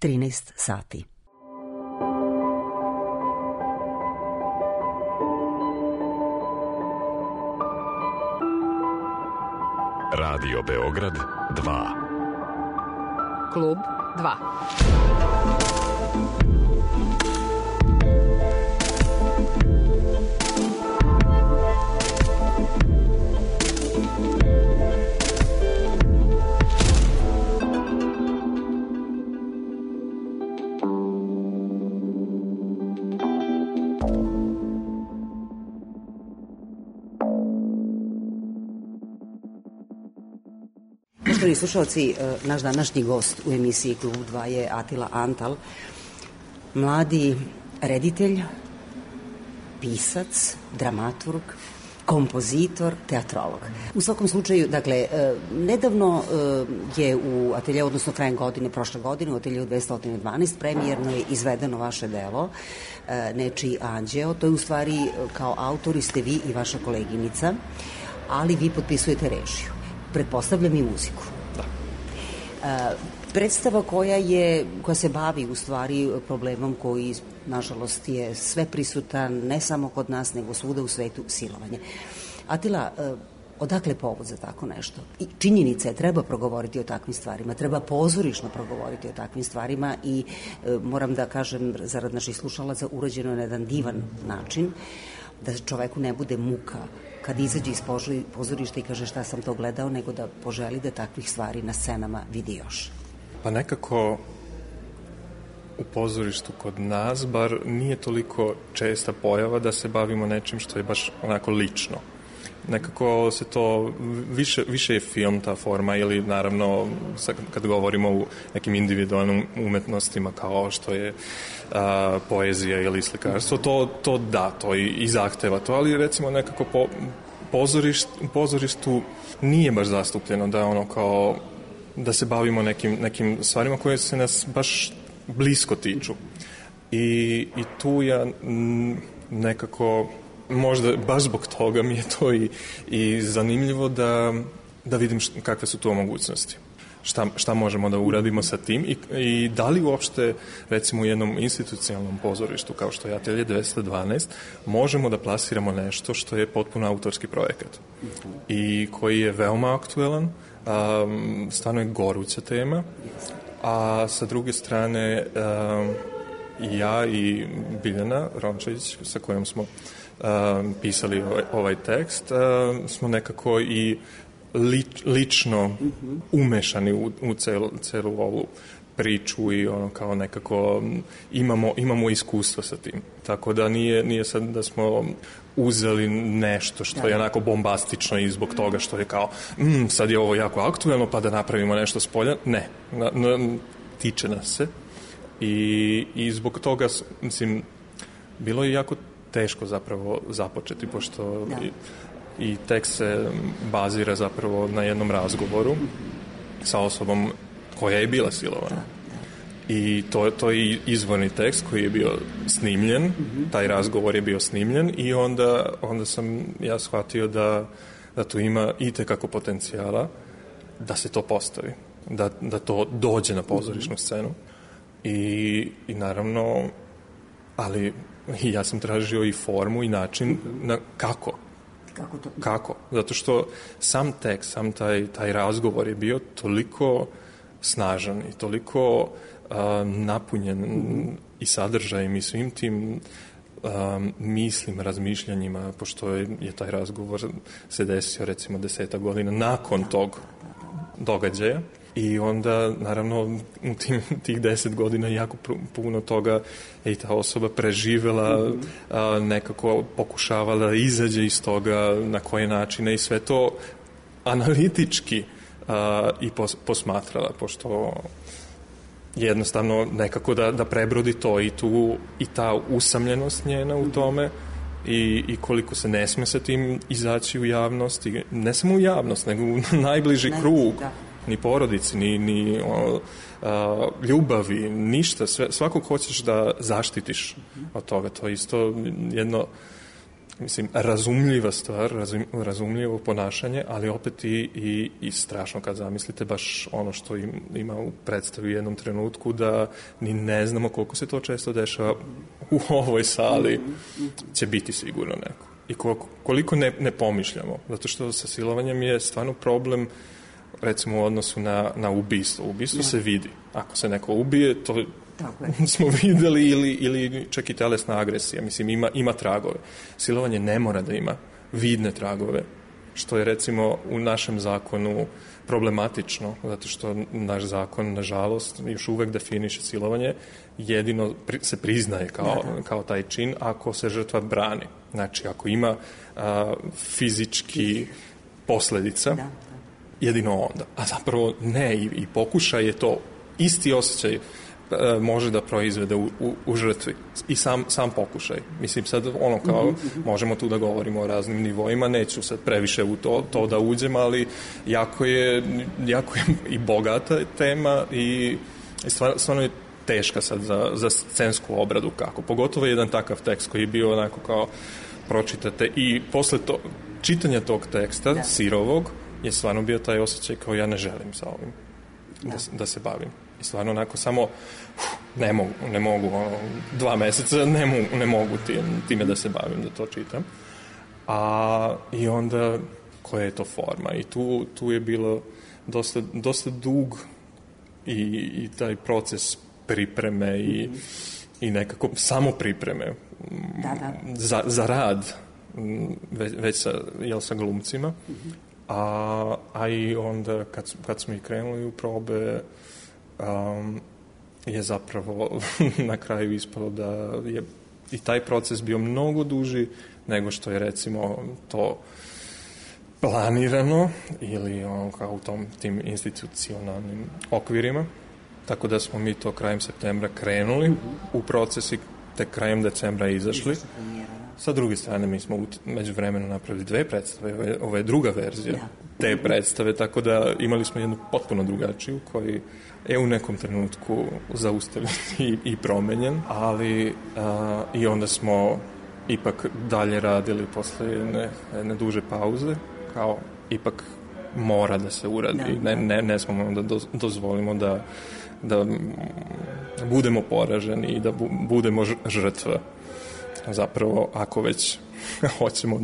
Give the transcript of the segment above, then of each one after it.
13 sati. Radio Beograd 2. Klub 2. Poštovani slušalci, naš današnji gost u emisiji Klub 2 je Atila Antal, mladi reditelj, pisac, dramaturg, kompozitor, teatrolog. U svakom slučaju, dakle, nedavno je u ateljeu, odnosno krajem godine, prošle godine, u ateljeu 212, premijerno je izvedeno vaše delo, Nečiji anđeo. To je u stvari, kao autori ste vi i vaša koleginica, ali vi potpisujete režiju. Pretpostavljam i muziku. Da. Predstava koja se bavi u stvari problemom koji, nažalost, je sve prisutan, ne samo kod nas, nego svuda u svetu, silovanje. Atila, odakle povod za tako nešto? I činjenica je, treba progovoriti o takvim stvarima, treba pozorišno progovoriti o takvim stvarima i moram da kažem, zarad naših slušalaca, urađeno na jedan divan način, da čoveku ne bude muka kad izađe iz pozorišta i kaže šta sam to gledao, nego da poželi da takvih stvari na scenama vidi još. Pa nekako u pozorištu kod nas bar nije toliko česta pojava da se bavimo nečim što je baš onako lično. Nekako se to, više je film ta forma ili naravno kad govorimo o nekim individualnim umetnostima kao što je poezija ili slikarstvo, to i zahteva to, ali recimo nekako pozorištu nije baš zastupljeno da ono kao da se bavimo nekim stvarima koje se nas baš blisko tiču. I tu ja nekako možda baš zbog toga mi je to i zanimljivo da vidim kakve su tu mogućnosti. Šta možemo da uradimo sa tim i da li uopšte, recimo u jednom institucionalnom pozorištu kao što je Atelje 212, možemo da plasiramo nešto što je potpuno autorski projekat i koji je veoma aktuelan, stvarno je goruća tema, a sa druge strane ja i Biljana Rončević sa kojom smo pisali ovaj tekst, smo nekako i lično umešani u celu ovu priču i ono kao nekako imamo iskustvo sa tim. Tako da nije sad da smo uzeli nešto što je onako bombastično i zbog toga što je kao sad je ovo jako aktuelno pa da napravimo nešto s polja. Ne, tiče nas se i zbog toga, mislim, bilo je jako teško zapravo započeti, pošto i tekst se bazira zapravo na jednom razgovoru sa osobom koja je bila silovana. I to je izvorni tekst koji je bio snimljen, taj razgovor je bio snimljen i onda sam ja shvatio da tu ima itekako potencijala da se to postavi, da to dođe na pozorišnu scenu i naravno, ali ja sam tražio i formu i način na kako. Kako? Zato što sam tekst, sam taj razgovor je bio toliko snažan i toliko napunjen i sadržajem i svim tim mislim, razmišljanjima, pošto je taj razgovor se desio recimo 10 godina nakon tog događaja. I onda, naravno, u tih 10 godina jako puno toga je i ta osoba preživela, nekako pokušavala da izađe iz toga, na koje načine i sve to analitički i posmatrala, pošto jednostavno nekako da prebrodi to i ta usamljenost njena u tome i koliko se ne sme sa tim izaći u javnost, i ne samo u javnost, nego u najbliži krug. Ni porodici, ni ljubavi, ništa. Svakog hoćeš da zaštitiš od toga. To je isto jedno mislim, razumljiva stvar, razumljivo ponašanje, ali opet i strašno kad zamislite baš ono što ima u predstavi u jednom trenutku, da ni ne znamo koliko se to često dešava u ovoj sali, će biti sigurno neko. I koliko ne pomišljamo, zato što sa silovanjem je stvarno problem, recimo u odnosu na ubistvo. Ubistvo se vidi. Ako se neko ubije, to smo videli ili čak i telesna agresija. Mislim, ima tragove. Silovanje ne mora da ima vidne tragove, što je recimo u našem zakonu problematično, zato što naš zakon, nažalost, još uvek definiše silovanje, jedino se priznaje kao taj čin ako se žrtva brani. Znači, ako ima fizički posledica, jedino onda. A zapravo ne, i pokušaj je to, isti osjećaj može da proizvede u žrtvi. I sam pokušaj. Mislim, sad ono kao, možemo tu da govorimo o raznim nivoima, neću sad previše u to da uđem, ali jako je i bogata tema i stvarno je teška sad za scensku obradu kako. Pogotovo jedan takav tekst koji je bio onako kao pročitate i posle čitanja tog teksta, sirovog, je stvarno bio taj osjećaj kao ja ne želim sa ovim da se bavim. I stvarno onako samo ne mogu 2 meseca ne mogu time da se bavim, da to čitam. I onda koja je to forma? I tu je bilo dosta dug i taj proces pripreme i nekako samo pripreme za rad već sa glumcima. A i onda kad smo i krenuli u probe, je zapravo na kraju ispalo da je i taj proces bio mnogo duži nego što je recimo to planirano ili kao u tim institucionalnim okvirima. Tako da smo mi to krajem septembra krenuli u proces i tek krajem decembra izašli. Sa druge strane, mi smo međuvremenu napravili 2 predstave, ovo je druga verzija te predstave, tako da imali smo jednu potpuno drugačiju koji je u nekom trenutku zaustavljen i promenjen, ali i onda smo ipak dalje radili posle jedne duže pauze, kao ipak mora da se uradi, ne smemo da dozvolimo da budemo poraženi i da budemo žrtva. Zapravo, ako već hoćemo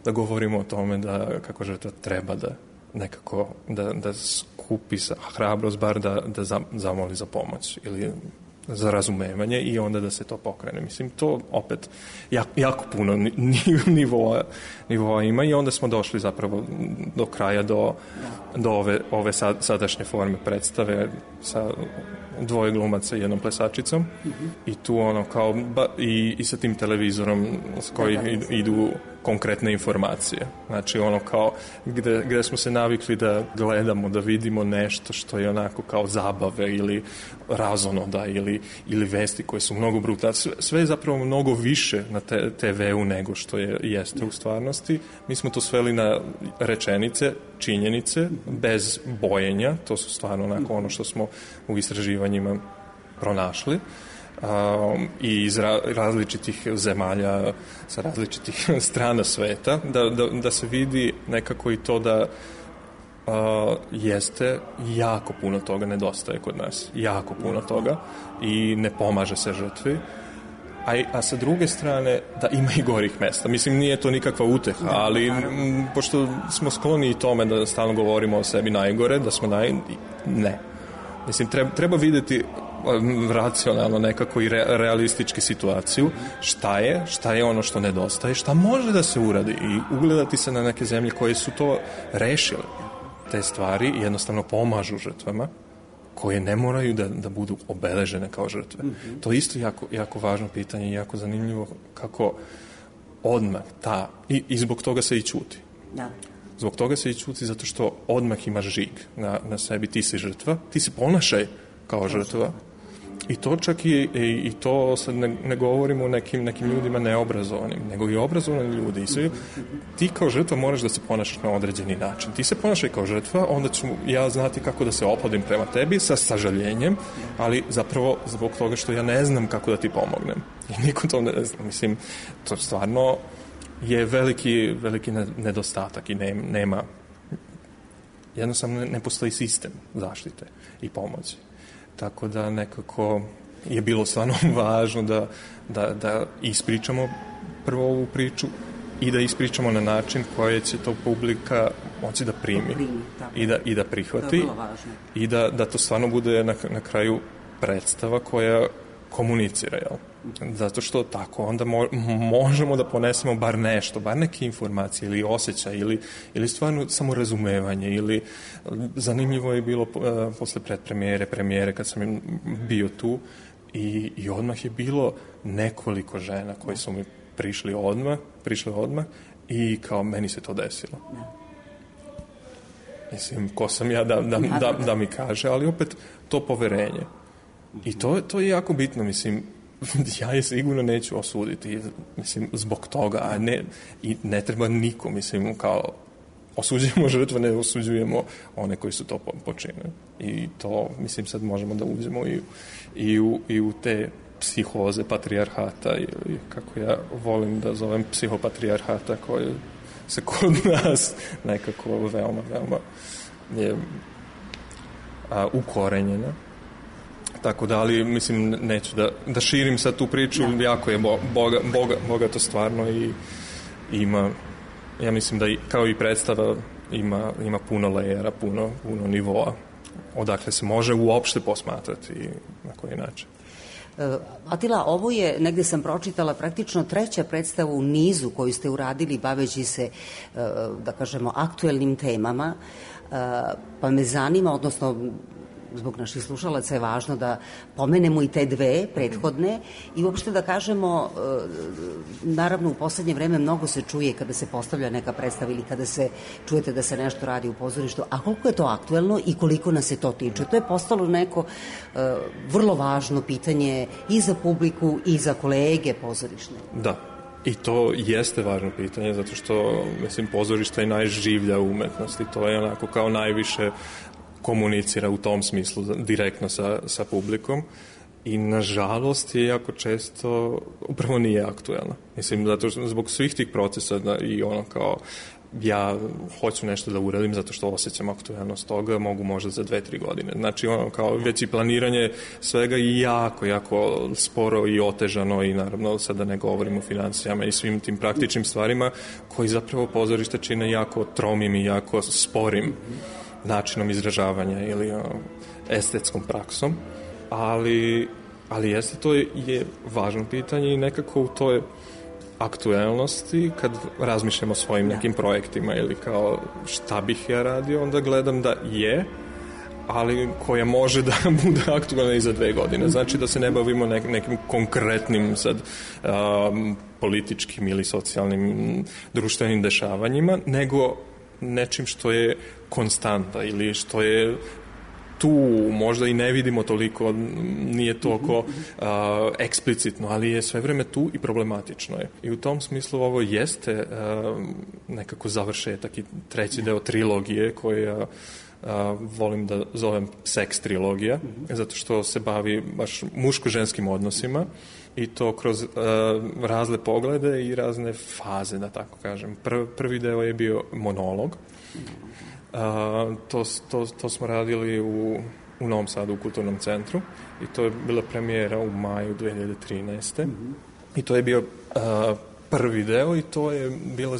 da govorimo o tome da kako žrtva treba da nekako da skupi hrabrost, bar da zamoli za pomoć ili za razumevanje i onda da se to pokrene. Mislim, to opet jako puno nivoa ima i onda smo došli zapravo do kraja do ove sadašnje forme predstave sa 2 glumaca i 1 plesačicom i tu ono kao i sa tim televizorom s kojim idu konkretne informacije. Znači ono kao gde smo se navikli da gledamo, da vidimo nešto što je onako kao zabave ili razonoda ili vesti koje su mnogo brutalne. Sve je zapravo mnogo više na TV-u nego što jeste u stvarnosti. Mi smo to sveli na rečenice, činjenice, bez bojenja. To su stvarno onako ono što smo u istraživanjima pronašli. I iz različitih zemalja, sa različitih strana sveta, da se vidi nekako i to da jeste jako puno toga nedostaje kod nas. Jako puno toga i ne pomaže se žrtvi. A sa druge strane, da ima i gorih mesta. Mislim, nije to nikakva uteha, ali pošto smo skloni i tome da stalno govorimo o sebi najgore, da smo ne. Mislim, treba vidjeti racionalno nekako i realistički situaciju, šta je ono što nedostaje, šta može da se uradi i ugledati se na neke zemlje koje su to rešile. Te stvari jednostavno pomažu žrtvama koje ne moraju da budu obeležene kao žrtve. To je isto jako važno pitanje i jako zanimljivo kako odmah i zbog toga se i ćuti. Da. Zbog toga se i ćuti zato što odmah imaš žig na sebi, ti si žrtva, ti se ponašaj kao žrtva. I to čak i to sad ne govorimo o nekim ljudima neobrazovanim, nego i obrazovani ljudi. I ti kao žrtva moraš da se ponašaš na određeni način. Ti se ponašaj kao žrtva, onda ću ja znati kako da se ophodim prema tebi sa sažaljenjem, ali zapravo zbog toga što ja ne znam kako da ti pomognem. I niko to ne zna. Mislim, to stvarno je veliki nedostatak i nema, jednostavno ne postoji sistem zaštite i pomoći. Tako da nekako je bilo stvarno važno da ispričamo prvo ovu priču i da ispričamo na način koje će to publika moći da primi i da prihvati i da to stvarno bude na kraju predstava koja komunicira, jel? Zato što tako onda možemo da ponesemo bar nešto, bar neke informacije ili osjećaj ili stvarno samo razumevanje ili zanimljivo je bilo posle premijere kad sam bio tu i odmah je bilo nekoliko žena koji su mi prišle odmah i kao meni se to desilo. Mislim, ko sam ja da mi kaže, ali opet to poverenje. I to je jako bitno, mislim, ja je sigurno neću osuditi, mislim, zbog toga, i ne treba niko, mislim, kao osuđujemo žrtve, ne osuđujemo one koji su to počinili. I to, mislim, sad možemo da uđemo i u te psihoze patrijarhata ili kako ja volim da zovem psihopatrijarhata koje se kod nas nekako veoma je ukorenjena. Tako da, ali mislim neću da širim sad tu priču, jako je bogato stvarno i ima, ja mislim da kao i predstava ima puno lejera, puno nivoa odakle se može uopšte posmatrati i na koji način. Atila, ovo je, negde sam pročitala, praktično treća predstava u nizu koju ste uradili baveći se, da kažemo, aktuelnim temama, pa me zanima, odnosno zbog naših slušalaca je važno da pomenemo i te dve prethodne i uopšte da kažemo, naravno u poslednje vreme mnogo se čuje kada se postavlja neka predstava ili kada se čujete da se nešto radi u pozorištu, a koliko je to aktuelno i koliko nas se to tiče. To je postalo neko vrlo važno pitanje i za publiku i za kolege pozorišne. Da. I to jeste važno pitanje, zato što, mislim, pozorište je najživlja umetnost i to je onako kao najviše komunicira u tom smislu direktno sa publikom i nažalost je jako često upravo nije aktuelna. Mislim, zato što zbog svih tih procesa i ono kao ja hoću nešto da uradim zato što osjećam aktuelnost toga, mogu možda za 2-3 godine. Znači, ono kao već i planiranje svega i jako sporo i otežano i naravno sada ne govorimo o financijama i svim tim praktičnim stvarima koji zapravo pozorište čine jako tromim i jako sporim načinom izražavanja ili estetskom praksom, ali jeste, to je važno pitanje i nekako u toj aktuelnosti kad razmišljamo o svojim nekim projektima ili kao šta bih ja radio, onda gledam da je, ali koja može da bude aktualna i za 2 godine. Znači da se ne bavimo nekim konkretnim sad političkim ili socijalnim društvenim dešavanjima, nego nečim što je konstanta ili što je tu, možda i ne vidimo toliko, nije toliko eksplicitno, ali je sve vreme tu i problematično je. I u tom smislu ovo jeste nekako završetak i treći deo trilogije koja volim da zovem seks trilogija, zato što se bavi baš muško-ženskim odnosima i to kroz razne poglede i razne faze, da tako kažem. Prvi deo je bio monolog. To smo radili u Novom Sadu u Kulturnom centru i to je bila premijera u maju 2013. I to je bio prvi deo i to je bilo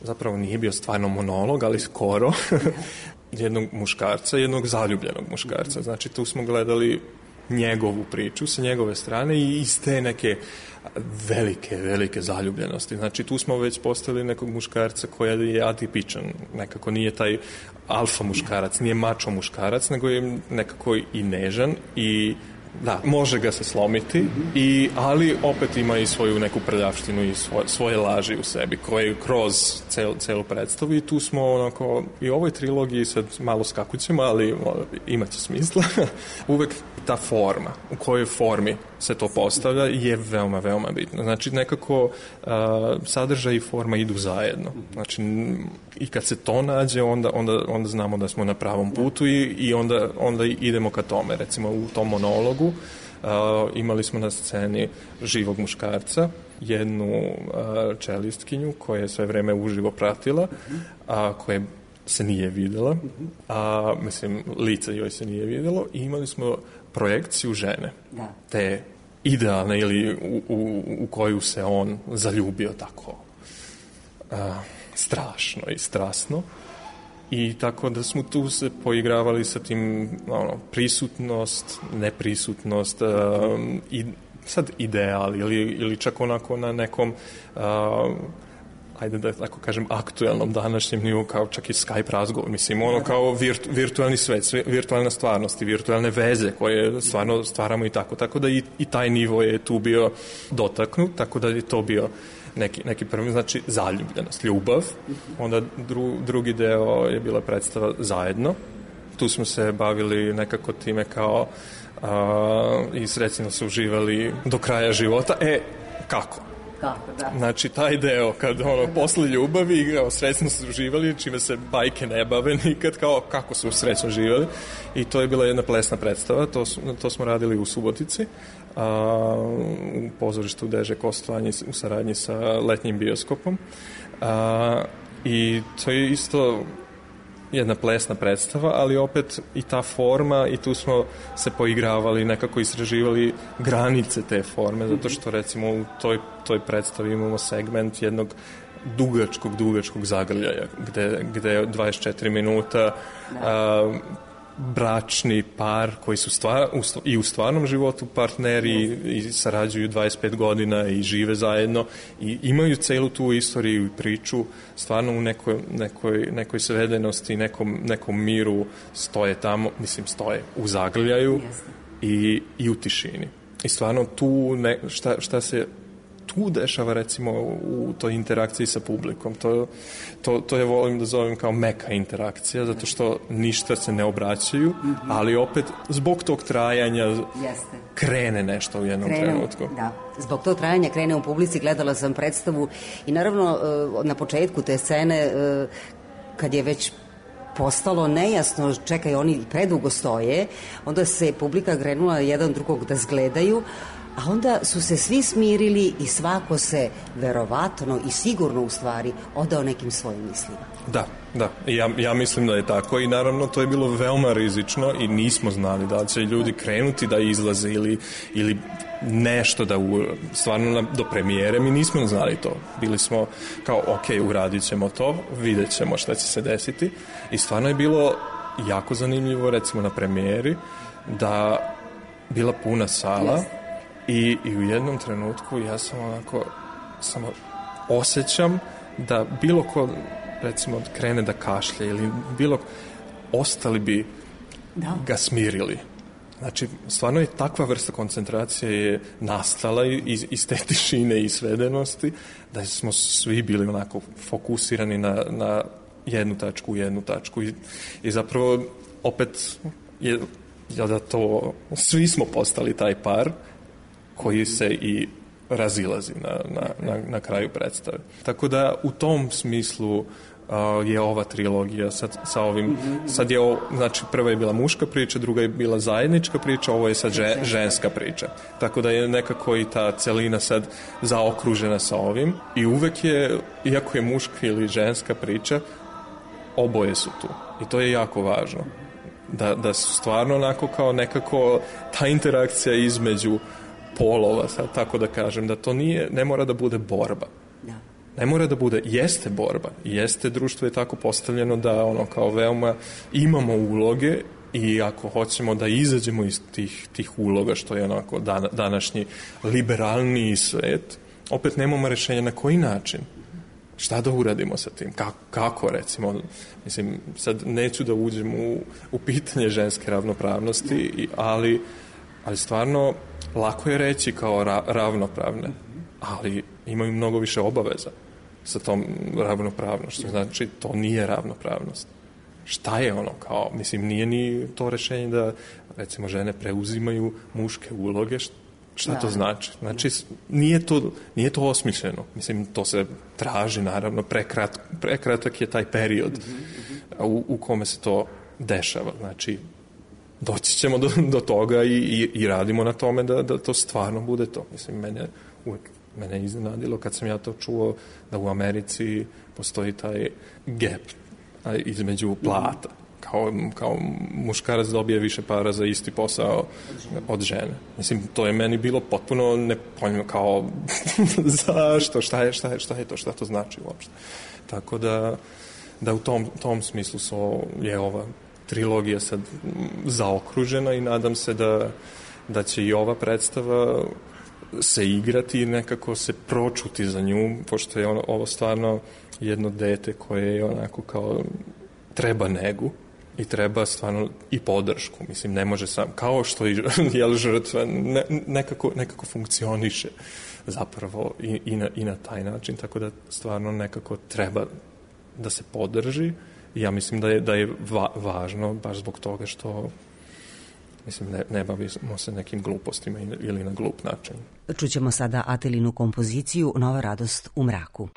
zapravo nije bio stvarno monolog, ali skoro jednog muškarca, jednog zaljubljenog muškarca. Znači tu smo gledali njegovu priču sa njegove strane i iz te neke velike zaljubljenosti. Znači tu smo već postavili nekog muškarca koji je atipičan, nekako nije taj alfa muškarac, nije mačo muškarac, nego je nekako i nežan i da, može ga se slomiti, ali opet ima i svoju neku prljavštinu i svoje laži u sebi koje kroz celu predstavu i tu smo onako i u ovoj trilogiji sad malo skakućemo, ali imaće smisla. Uvek ta forma, u kojoj formi se to postavlja je veoma bitno. Znači nekako sadržaj i forma idu zajedno. Znači i kad se to nađe onda znamo da smo na pravom putu i onda idemo ka tome. Recimo u tom monologu imali smo na sceni živog muškarca jednu čelistkinju koja je sve vreme uživo pratila, a koja se nije videla, a mislim, lice joj se nije videlo i imali smo projekciju žene. Da. Te idealne ili u koju se on zaljubio tako strašno i strasno. I tako da smo tu se poigravali sa tim prisutnost, neprisutnost i sad ideal ili čak onako na nekom ajde da tako kažem aktuelnom današnjem nivou kao čak i Skype razgovor, mislim ono kao virtualni svet, virtualna stvarnost i virtualne veze koje stvarno stvaramo i tako da i taj nivo je tu bio dotaknut, tako da je to bio neki prvi, znači zaljubljenost, ljubav. Onda drugi deo je bila predstava Zajedno. Tu smo se bavili nekako time kao i srećno su uživali do kraja života. Kako? Da. Znači, taj deo, kad posle ljubavi, srećno su uživali, čime se bajke ne bave nikad, kao kako su srećno živali. I to je bila jedna plesna predstava, to smo radili u Subotici, u pozorištu Deže Kostovanje u saradnji sa letnjim bioskopom. I to je isto jedna plesna predstava, ali opet i ta forma i tu smo se poigravali, nekako istraživali granice te forme, zato što recimo u toj predstavi imamo segment jednog dugačkog zagrljaja, gde je 24 minuta bračni par koji su i u stvarnom životu partneri i sarađuju 25 godina i žive zajedno i imaju celu tu istoriju i priču stvarno u nekoj svedenosti, nekom miru stoje tamo, stoje u zagrljaju i u tišini. I stvarno tu šta se tu dešava recimo u toj interakciji sa publikom. To je volim da zovem kao meka interakcija, zato što ništa se ne obraćaju, ali opet zbog tog trajanja krene nešto u jednom trenutku. Da, zbog tog trajanja krene u publici, gledala sam predstavu i naravno na početku te scene kad je već postalo nejasno, čekaj, oni predugo stoje, onda se publika grenula jedan drugog da zgledaju, a onda su se svi smirili i svako se verovatno i sigurno u stvari odao nekim svojim mislima. Da. Ja mislim da je tako i naravno to je bilo veoma rizično i nismo znali da će ljudi krenuti da izlaze ili nešto da stvarno do premijere mi nismo znali to. Bili smo kao ok, uradit ćemo to, vidjet ćemo šta će se desiti i stvarno je bilo jako zanimljivo recimo na premijeri da bila puna sala. I u jednom trenutku ja sam samo osjećam da bilo ko recimo krene da kašlje ili ostali bi ga smirili. Znači, stvarno je takva vrsta koncentracije je nastala iz te tišine i svedenosti da smo svi bili onako fokusirani na jednu tačku i zapravo opet je da to svi smo postali taj par koji se i razilazi na kraju predstave. Tako da u tom smislu je ova trilogija sa ovim, sad je znači prva je bila muška priča, druga je bila zajednička priča, ovo je sad ženska priča. Tako da je nekako i ta celina sad zaokružena sa ovim i uvek je, iako je muška ili ženska priča, oboje su tu. I to je jako važno. Da su stvarno onako kao nekako ta interakcija između polova, sad tako da kažem, da to ne mora da bude borba. Ne mora da bude, jeste borba, jeste društvo je tako postavljeno da kao veoma imamo uloge i ako hoćemo da izađemo iz tih uloga, što je onako današnji liberalniji svet, opet nemamo rešenja na koji način. Šta da uradimo sa tim? Kako recimo? Mislim, sad neću da uđem u pitanje ženske ravnopravnosti, ali stvarno lako je reći kao ravnopravne, ali imaju mnogo više obaveza sa tom ravnopravnošću. Znači, to nije ravnopravnost. Šta je kao, mislim, nije ni to rešenje da, recimo, žene preuzimaju muške uloge, šta to znači? Znači, nije to osmišljeno. Mislim, to se traži, naravno, prekratak je taj period u kome se to dešava. Znači, doći ćemo do toga i radimo na tome da to stvarno bude to. Mislim, mene uvek mene iznenadilo kad sam ja to čuo da u Americi postoji taj gap između plata. Kao muškarac dobije više para za isti posao od žene. Mislim, to je meni bilo potpuno nepojmljivo, kao zašto, šta je to, šta to znači uopšte. Tako da u tom smislu je ova trilogija sad zaokružena i nadam se da će i ova predstava se igrati i nekako se pročuti za nju, pošto je ovo stvarno jedno dete koje je onako kao treba negu i treba stvarno i podršku. Mislim, ne može sam, kao što i žrtva nekako funkcioniše zapravo i na taj način, tako da stvarno nekako treba da se podrži. Ja mislim da je važno baš zbog toga što mislim, ne bavimo se nekim glupostima ili na glup način. Čućemo sada Atelinu kompoziciju Nova radost u mraku.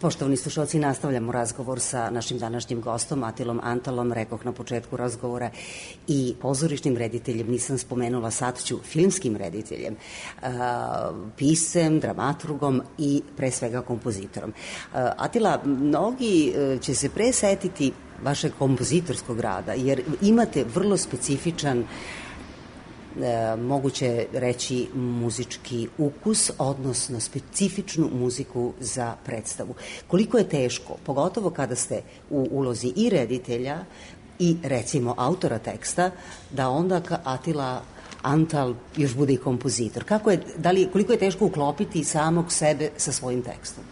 Poštovani slušalci, nastavljamo razgovor sa našim današnjim gostom, Atilom Antalom, rekoh na početku razgovora, i pozorišnim rediteljem, nisam spomenula, sad ću, filmskim rediteljem, piscem, dramaturgom i pre svega kompozitorom. Atila, mnogi će se presetiti vašeg kompozitorskog rada, jer imate vrlo specifičan, moguće reći, muzički ukus, odnosno specifičnu muziku za predstavu. Koliko je teško, pogotovo kada ste u ulozi i reditelja i recimo autora teksta, da onda Atila Antal još bude i kompozitor. Koliko je teško uklopiti samog sebe sa svojim tekstom?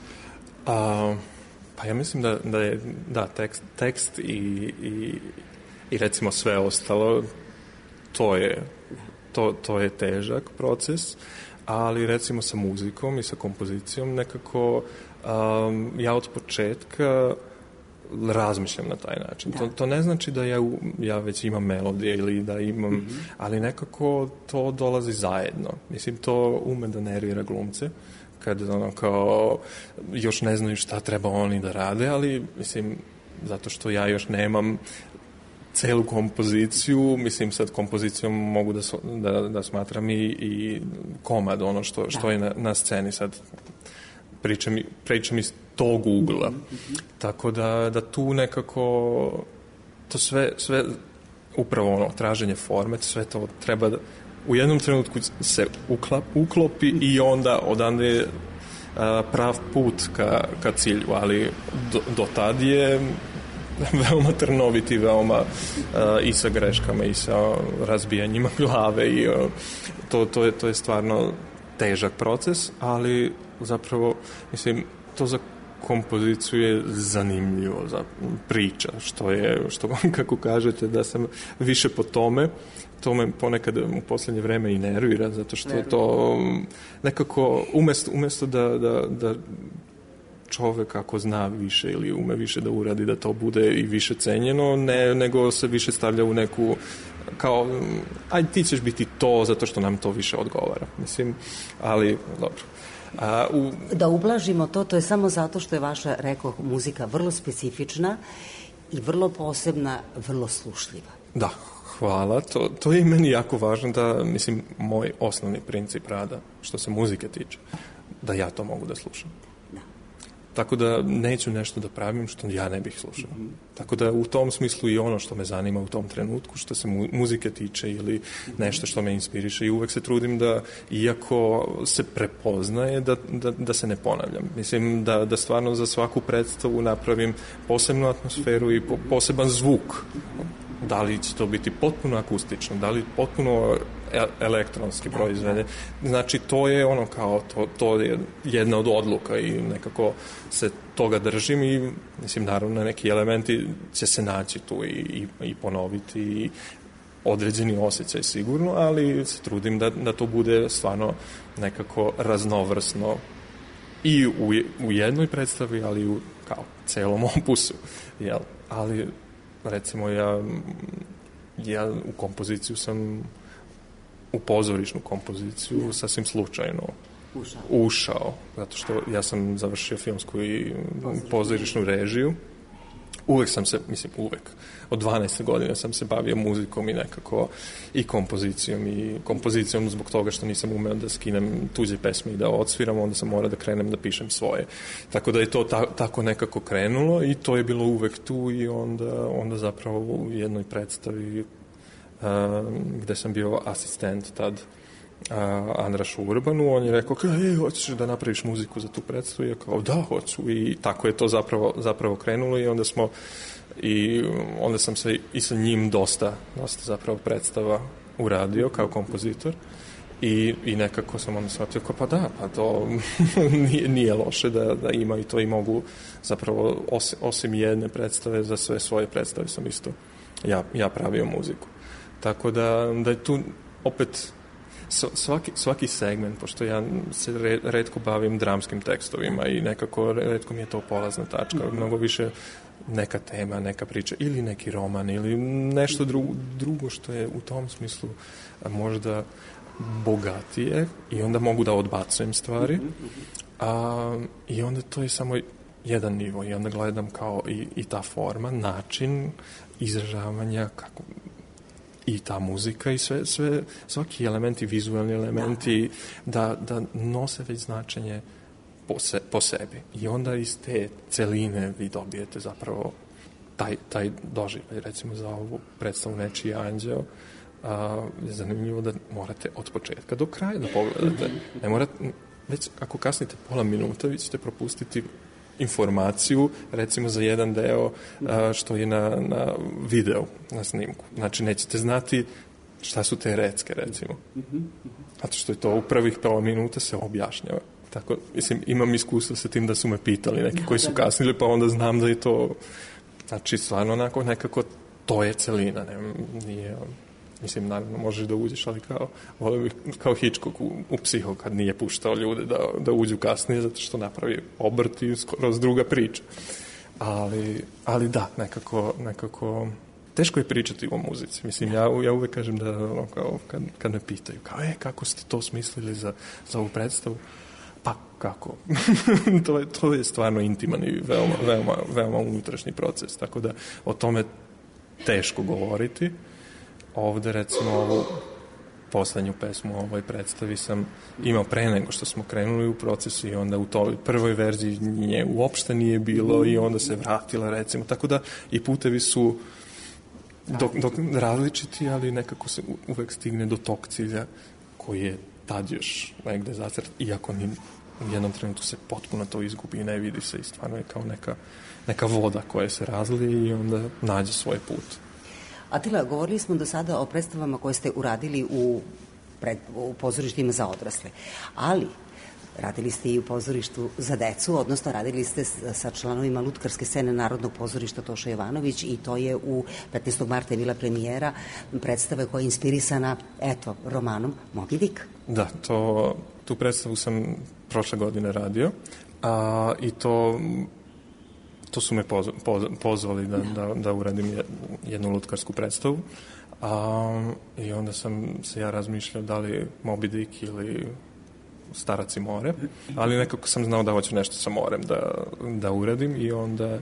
Pa ja mislim da je tekst i recimo sve ostalo, to je težak proces, ali recimo sa muzikom i sa kompozicijom nekako ja od početka razmišljam na taj način. To ne znači da ja već imam melodije ili da imam, ali nekako to dolazi zajedno. Mislim, to ume da nervira glumce, kad kao još ne znaju šta treba oni da rade, ali mislim, zato što ja još nemam celu kompoziciju, mislim sad kompozicijom mogu da smatram i komad, ono što je na sceni sad, pričam iz tog ugla. Tako da tu nekako to sve upravo traženje forme, sve to treba da u jednom trenutku se uklopi i onda odande je prav put ka cilju, ali do tad je veoma trnoviti, veoma i sa greškama i sa razbijanjima glave i to je stvarno težak proces, ali zapravo, mislim, to za kompoziciju je zanimljivo za priča, što kako kažete, da sam više po tome, to me ponekad u posljednje vreme i nervira, zato što je to nekako, umjesto da čovek ako zna više ili ume više da uradi, da to bude i više cenjeno, nego se više stavlja u neku kao, aj ti ćeš biti to zato što nam to više odgovara. Mislim, ali dobro. Da ublažimo to je samo zato što je vaša, rekao, muzika vrlo specifična i vrlo posebna, vrlo slušljiva. Da, hvala. To je i meni jako važno da, mislim, moj osnovni princip rada, što se muzike tiče, da ja to mogu da slušam. Tako da neću nešto da pravim što ja ne bih slušao. Tako da u tom smislu i ono što me zanima u tom trenutku, što se muzike tiče ili nešto što me inspiriše, i uvek se trudim da, iako se prepoznaje, da se ne ponavljam. Mislim da stvarno za svaku predstavu napravim posebnu atmosferu i poseban zvuk. Da li će to biti potpuno akustično, da li potpuno elektronski proizvede. Znači, to je ono kao, to je jedna od odluka i nekako se toga držim i, mislim, naravno, neki elementi će se naći tu i ponoviti i određeni osjećaj sigurno, ali se trudim da to bude stvarno nekako raznovrsno i u jednoj predstavi, ali i u kao celom opusu. Jel? Ali recimo ja u kompoziciju sam, u pozorišnu kompoziciju sasvim slučajno ušao, zato što ja sam završio filmsku i pozorišnu režiju. Uvek sam se, mislim uvek, od 12 godina sam se bavio muzikom i nekako i kompozicijom zbog toga što nisam umeo da skinem tuđe pesme i da odsviram, onda sam morao da krenem da pišem svoje. Tako da je to tako nekako krenulo i to je bilo uvek tu i onda zapravo u jednoj predstavi gde sam bio asistent tad Andrašu Urbanu, on je rekao, hoćeš da napraviš muziku za tu predstavu? I ja kao, da, hoću. I tako je to zapravo krenulo i onda sam se i sa njim dosta zapravo predstava uradio kao kompozitor i nekako sam onda shvatio kao, pa to nije loše da ima i to i mogu zapravo osim jedne predstave, za sve svoje predstave sam isto ja pravio muziku. Tako da je tu opet svaki segment, pošto ja se retko bavim dramskim tekstovima i nekako retko mi je to polazna tačka, mnogo više neka tema, neka priča ili neki roman ili nešto drugo što je u tom smislu možda bogatije i onda mogu da odbacujem stvari i onda to je samo jedan nivo i onda gledam kao i ta forma, način izražavanja, kako i ta muzika i svaki elementi, vizualni elementi da nose već značenje po sebi. I onda iz te celine vi dobijete zapravo taj doživljaj. Recimo za ovu predstavu Nečiji anđeo je zanimljivo da morate od početka do kraja da pogledate. Ne morate, već ako kasnite pola minuta vi ćete propustiti informaciju, recimo za jedan deo što je na videu, na snimku. Znači, nećete znati šta su te recke, recimo. Zato što je to u prvih pola minuta se objašnjava. Tako, mislim, imam iskustvo sa tim da su me pitali neki koji su kasnili, pa onda znam da je to, znači, stvarno onako nekako to je celina, nije... Mislim, naravno, možeš da uđeš, ali kao Hitchcock u Psiho, kad nije puštao ljude da uđu kasnije, zato što napravi obrt i skroz druga priča. Ali da, nekako teško je pričati o muzici. Mislim, ja uvek kažem da, kao, kad me pitaju, kao, kako ste to smislili za ovu predstavu? Pa, kako? to je stvarno intiman i veoma unutrašnji proces, tako da o tome teško govoriti. Ovde, recimo, ovu poslednju pesmu u ovoj predstavi sam imao pre nego što smo krenuli u procesu i onda u toj prvoj verziji nje uopšte nije bilo i onda se vratila, recimo. Tako da i putevi su dok različiti, ali nekako se uvek stigne do tog cilja koji je tad još negde zacrt, iako u jednom trenutku se potpuno to izgubi i ne vidi se i stvarno je kao neka voda koja se razlije i onda nađe svoj put. Atila, govorili smo do sada o predstavama koje ste uradili u pozorištima za odrasle, ali radili ste i u pozorištu za decu, odnosno radili ste sa članovima lutkarske scene Narodnog pozorišta Toša Jovanović i to je u 15. marta je bila premijera predstave koja je inspirisana, romanom Moby Dick. Da, tu predstavu sam prošle godine radio i to su me pozvali da uradim jednu lutkarsku predstavu. I onda sam se ja razmišljao da li Moby Dick ili Starac i more, ali nekako sam znao da hoću nešto sa morem da uradim i onda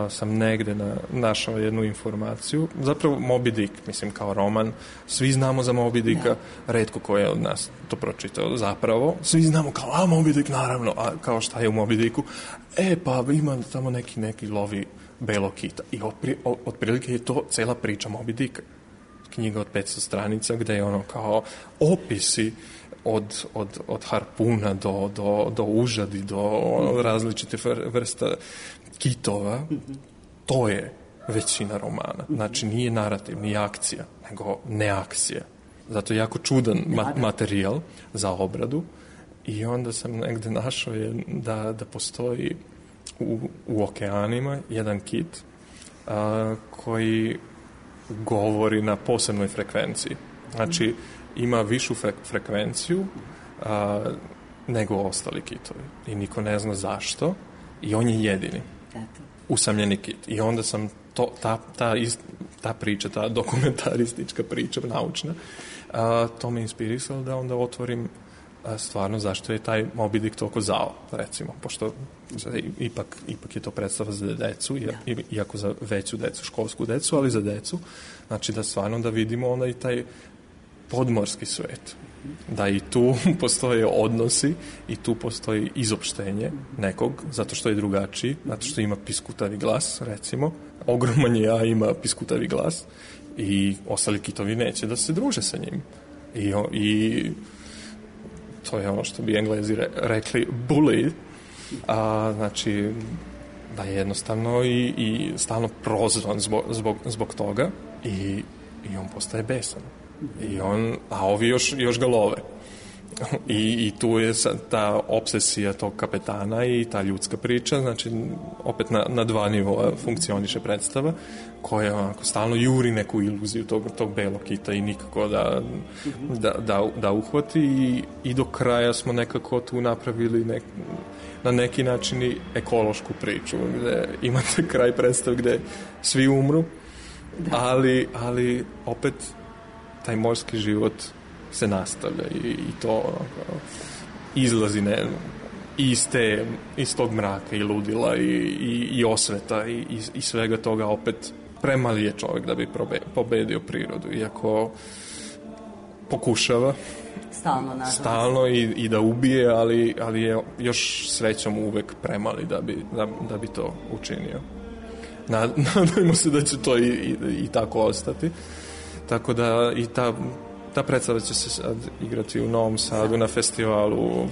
sam negde našao jednu informaciju. Zapravo Moby Dick, mislim kao roman, svi znamo za Moby Dicka, retko ko je od nas to pročitao zapravo. Svi znamo kao, Moby Dick naravno, a kao šta je u Moby Dicku? Pa ima tamo neki lovi belog kita. I otprilike je to cela priča Moby Dicka. Knjiga od 500 stranica gde je ono kao opisi od harpuna do užadi, do različite vrsta kitova. To je većina romana. Znači nije narativ, nije akcija, nego neakcija. Zato je jako čudan materijal za obradu i onda sam negde našao da postoji u okeanima jedan kit koji govori na posebnoj frekvenciji. Znači ima višu frekvenciju nego ostali kitovi. I niko ne zna zašto i on je jedini. Usamljeni kit. I onda sam ta priča, ta dokumentaristička priča, naučna, to me inspirisalo da onda otvorim stvarno zašto je taj Moby Dick toliko zao, recimo, pošto ipak je to predstava za decu, iako za veću decu, školsku decu, ali za decu, znači da stvarno da vidimo onda i taj podmorski svet, da i tu postoje odnosi i tu postoji izopštenje nekog, zato što je drugačiji, zato što ima piskutavi glas, recimo, ogroman je, a ima piskutavi glas i ostali kitovi neće da se druže sa njim. I to je ono što bi Englezi rekli bully, znači da je jednostavno i stalno prozvan zbog toga i on postaje besan. A ovi još ga love. I tu je ta obsesija tog kapetana i ta ljudska priča, znači opet na dva nivoa funkcioniše predstava koja onako stalno juri neku iluziju tog belog kita i nikako da uhvati i do kraja smo nekako tu napravili na neki način i ekološku priču gde imate kraj predstave gde svi umru, ali opet taj morski život se nastavlja i to izlazi iz tog mraka i ludila i osveta i svega toga. Opet premali je čovjek da bi pobedio prirodu, iako pokušava stalno i da ubije, ali je još srećom uvek premali da bi to učinio. Nadajmo se da će to i tako ostati. Tako da i ta predstava će se sad igrati u Novom Sadu na festivalu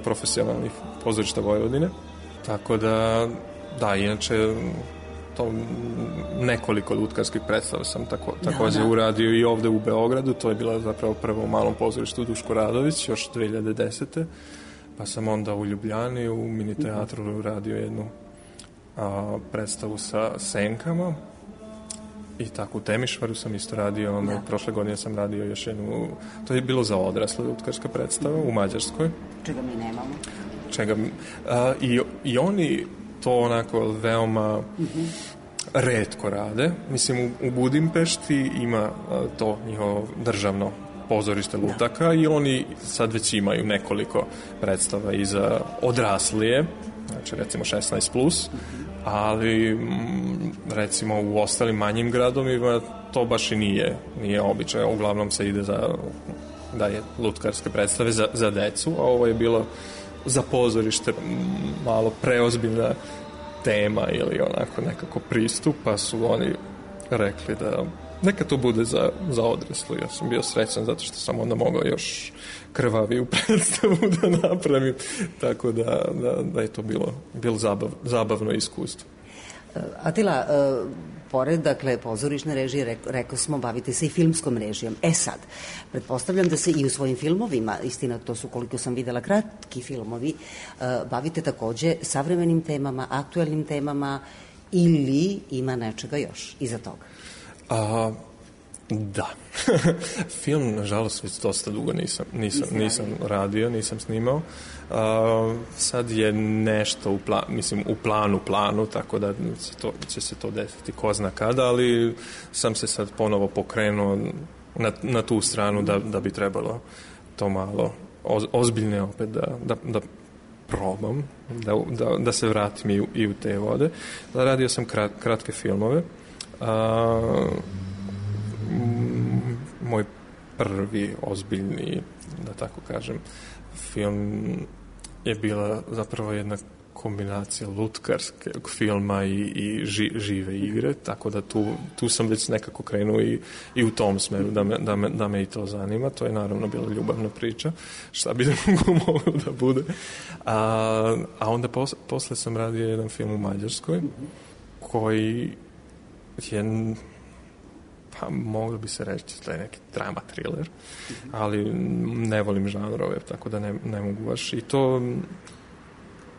profesionalnih pozorišta Vojvodine. Tako da, inače to nekoliko lutkarskih predstava sam također uradio i ovde u Beogradu. To je bila zapravo prvo u malom pozorištu Duško Radović, još 2010. Pa sam onda u Ljubljani u mini teatru uradio jednu predstavu sa senkama. I tako u Temišvaru sam isto radio, prošle godine sam radio još jednu, to je bilo za odrasle lutkarska predstava u Mađarskoj. Čega mi nemamo. I oni to onako veoma retko rade. Mislim, u Budimpešti ima to njihovo državno pozorište lutaka i oni sad već imaju nekoliko predstava i za odraslije, znači recimo 16+, ali recimo u ostalim manjim gradovima to baš i nije običaj. Uglavnom se ide da je lutkarske predstave za decu, a ovo je bilo za pozorište malo preozbiljna tema ili onako nekako pristup, pa su oni rekli neka to bude za odraslu. Ja sam bio srećan zato što sam onda mogao još krvaviju predstavu da napravim. Tako da je to bilo zabavno iskustvo. Atila, pored, dakle, pozorišne režije, rekao smo, bavite se i filmskom režijom. Sad, pretpostavljam da se i u svojim filmovima, istina, to su, koliko sam videla, kratki filmovi, bavite takođe savremenim temama, aktuelnim temama, ili ima nečega još iza toga? Da. Film, nažalost, već dosta dugo nisam radio, nisam snimao. Sad je nešto u planu, tako da će se to desiti ko zna kada, ali sam se sad ponovo pokrenuo na tu stranu da bi trebalo to malo ozbiljne opet da probam, da se vratim i u te vode. Radio sam kratke filmove. Moj prvi ozbiljni, da tako kažem, film je bila zapravo jedna kombinacija lutkarskog filma i žive igre, tako da tu sam već nekako krenuo i u tom smeru da me i to zanima. To je naravno bila ljubavna priča, šta bi moglo da bude. A onda posle sam radio jedan film u Mađarskoj koji je, pa moglo bi se reći da je neki drama thriller, ali ne volim žanrove, tako da ne mogu baš. I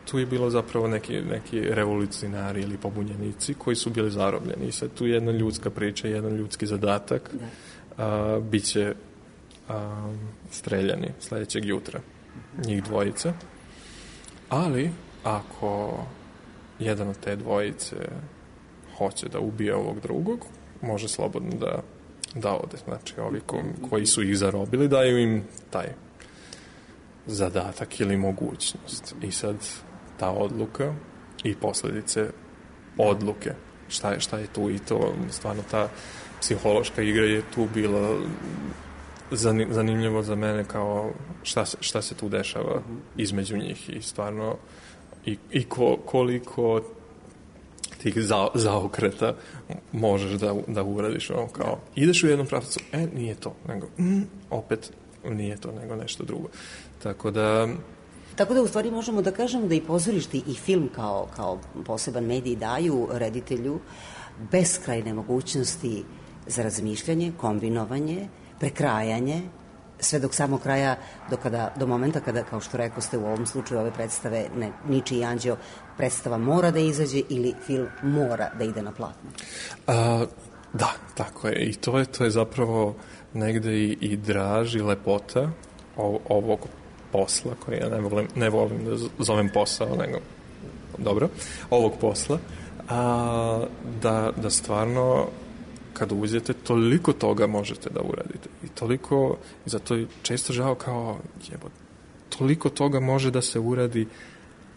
tu je bilo zapravo neki revolucionari ili pobunjenici koji su bili zarobljeni. I sad tu je jedna ljudska priča, jedan ljudski zadatak. Biće streljani sledećeg jutra. Njih dvojica. Ali ako jedan od te dvojice hoće da ubije ovog drugog, može slobodno da ode. Znači, ovi koji su ih zarobili daju im taj zadatak ili mogućnost. I sad ta odluka i posljedice odluke. Šta je tu i to, stvarno ta psihološka igra je tu bila zanimljivo za mene, kao šta se tu dešava između njih i stvarno i koliko tih zaokreta možeš da uradiš, ono, kao ideš u jednom pravcu, nije to, nego opet nije to, nego nešto drugo. Tako da u stvari možemo da kažemo da i pozorište i film kao poseban medij daju reditelju beskrajne mogućnosti za razmišljanje, kombinovanje, prekrajanje, sve dok samog kraja, do momenta kada, kao što rekao ste u ovom slučaju ove predstave, Ničiji anđeo, predstava mora da izađe ili film mora da ide na platno. Da, tako je. I to je zapravo negde i draž i lepota ovog posla, koji ja ne volim da zovem posao, nego dobro, ovog posla, da stvarno kad uđete, toliko toga možete da uradite. I toliko, i zato je često žao kao, toliko toga može da se uradi,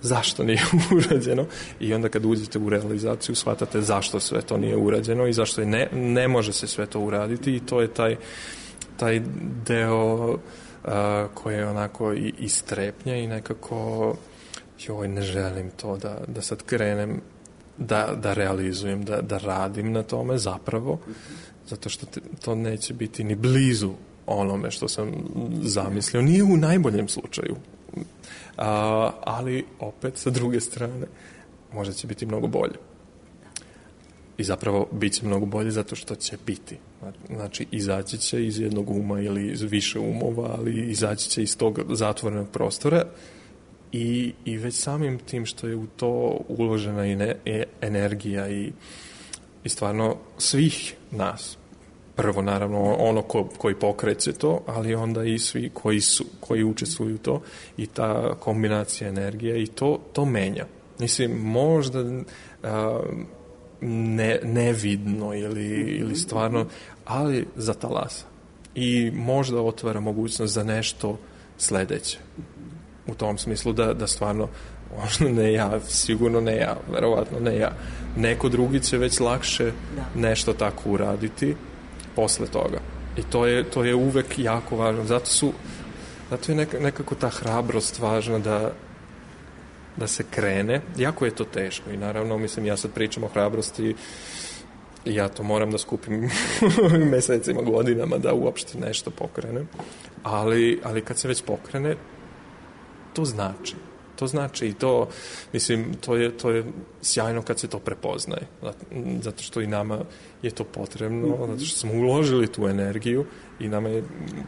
zašto nije urađeno? I onda kad uđete u realizaciju, shvatate zašto sve to nije urađeno i zašto ne može se sve to uraditi, i to je taj deo koji je onako i strepnja i nekako ne želim to da sad krenem da realizujem, da radim na tome zapravo, zato što to neće biti ni blizu onome što sam zamislio, nije u najboljem slučaju, ali opet sa druge strane možda će biti mnogo bolje. I zapravo bit će mnogo bolje zato što će biti. Znači, izaći će iz jednog uma ili iz više umova, ali izaći će iz tog zatvorenog prostora i već samim tim što je u to uložena energija i stvarno svih nas. Prvo, naravno, ono koji pokreće to, ali onda i svi koji učestvuju u to, i ta kombinacija energije, i to menja. Mislim, možda nevidno ili stvarno, ali zatalasa. I možda otvara mogućnost za nešto sledeće. U tom smislu da stvarno, možda ne ja, sigurno ne ja, verovatno ne ja. Neko drugi će već lakše nešto tako uraditi posle toga. I to je uvek jako važno. Zato je nekako ta hrabrost važna da se krene. Jako je to teško i naravno, mislim, ja sad pričam o hrabrosti ja to moram da skupim mesecima, godinama da uopšte nešto pokrenem, ali kad se već pokrene, to znači. To znači i to, mislim, to je sjajno kad se to prepoznaje. Zato što i nama je to potrebno, zato što smo uložili tu energiju i nama je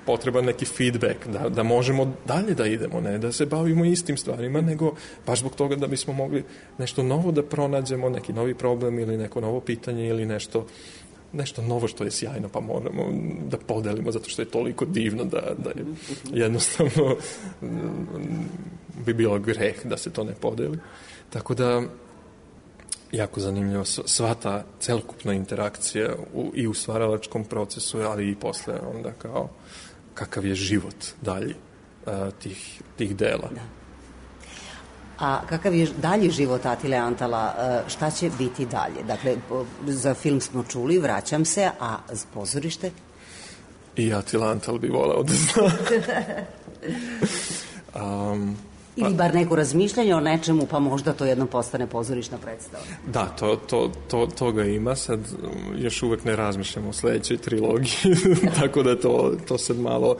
potreban neki feedback, da možemo dalje da idemo, ne da se bavimo istim stvarima, nego baš zbog toga da bismo mogli nešto novo da pronađemo, neki novi problem ili neko novo pitanje ili nešto novo što je sjajno, pa moramo da podelimo, zato što je toliko divno da je jednostavno bi bilo greh da se to ne podeli. Tako da, jako zanimljivo, sva ta celokupna interakcija i u stvaralačkom procesu, ali i posle onda kao kakav je život dalji tih dela. Da. A kakav je dalji život Atile Antala, šta će biti dalje? Dakle, za film smo čuli, vraćam se, a pozorište? I Atila Antal bi voleo da zna. Ili bar neko razmišljanje o nečemu, pa možda to jednom postane pozorišna predstava. Da, toga ima. Sad još uvek ne razmišljamo o sledećoj trilogiji, tako da to sad malo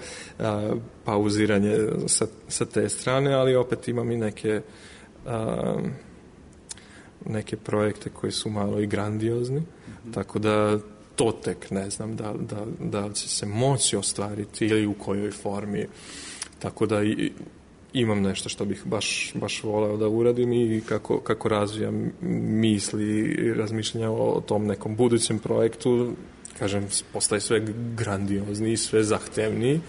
pauziranje sa te strane, ali opet imam i neke projekte koji su malo i grandiozni, tako da to tek ne znam da će se moći ostvariti ili u kojoj formi, tako da imam nešto što bih baš voleo da uradim i kako razvijam misli i razmišljanja o tom nekom budućem projektu, kažem, postaje sve grandiozniji, sve zahtevniji,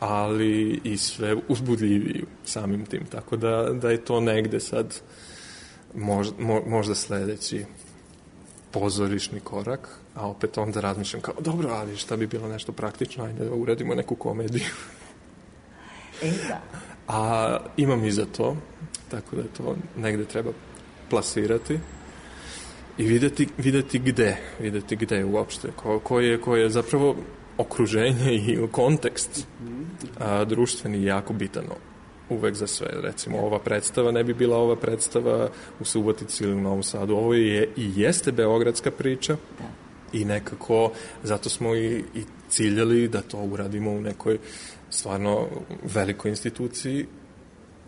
ali i sve uzbudljiviji samim tim, tako da je to negde sad možda sledeći pozorišni korak, a opet onda razmišljam kao, dobro, ali šta bi bilo nešto praktično, ajde da uradimo neku komediju. Da. A imam i za to, tako da to negde treba plasirati i videti gde uopšte, koje je zapravo okruženje i kontekst društveni jako bitan uvek za sve. Recimo, ova predstava ne bi bila ova predstava u Subotici ili u Novom Sadu. Ovo je i jeste beogradska priča i nekako zato smo i ciljali da to uradimo u nekoj stvarno velikoj instituciji,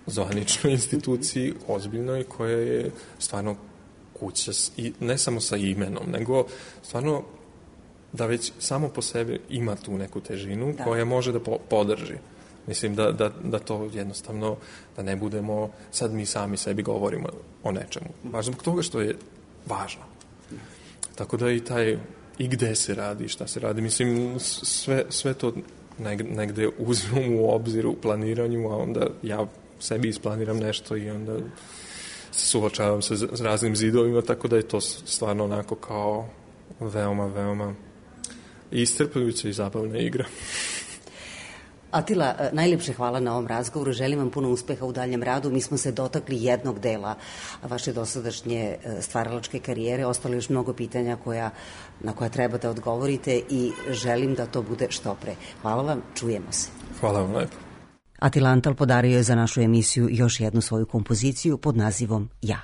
zvaničnoj instituciji, ozbiljnoj, koja je stvarno kuća, ne samo sa imenom, nego stvarno da već samo po sebi ima tu neku težinu koja može da podrži. Mislim da to jednostavno, da ne budemo, sad mi sami sebi govorimo o nečemu. Baš zbog toga što je važno. Tako da i gde se radi, šta se radi. Mislim, sve to negde uzimam u obzir u planiranju, a onda ja sebi isplaniram nešto i onda se suočavam sa raznim zidovima, tako da je to stvarno onako kao veoma, veoma iscrpljujuća i zabavna igra. Atila, najljepše hvala na ovom razgovoru. Želim vam puno uspeha u daljem radu. Mi smo se dotakli jednog dela vaše dosadašnje stvaralačke karijere. Ostalo još mnogo pitanja na koja treba da odgovorite i želim da to bude što pre. Hvala vam, čujemo se. Hvala vam lepo. Atila Antal podario je za našu emisiju još jednu svoju kompoziciju pod nazivom Ja.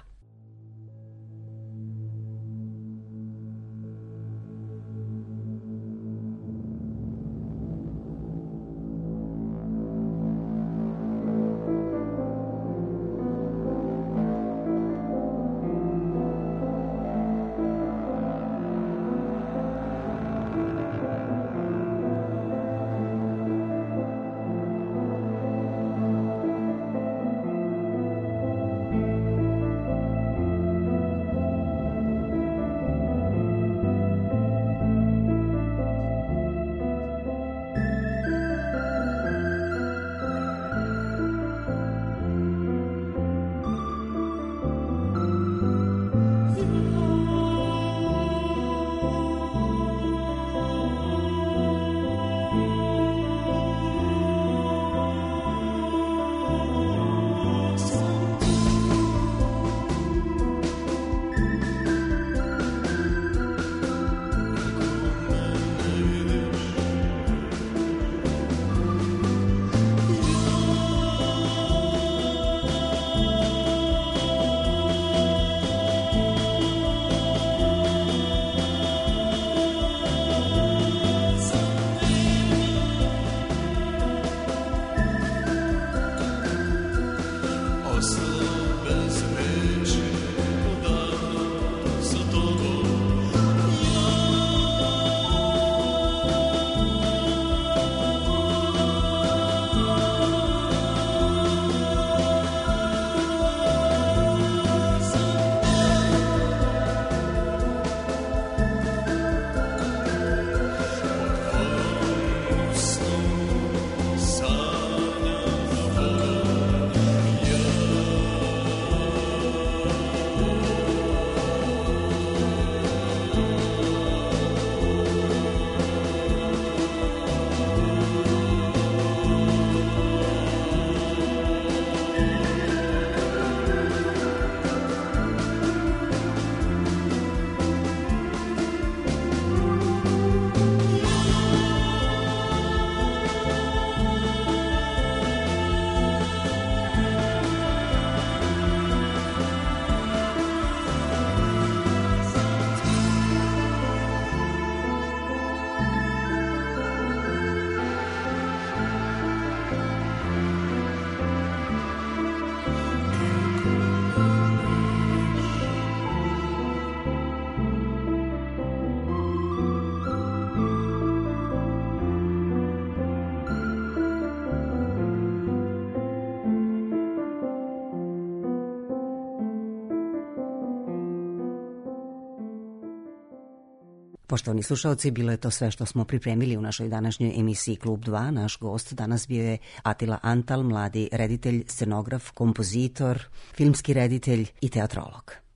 Poštovani slušalci, bilo je to sve što smo pripremili u našoj današnjoj emisiji Klub 2. Naš gost danas bio je Atila Antal, mladi reditelj, scenograf, kompozitor, filmski reditelj i teatrolog.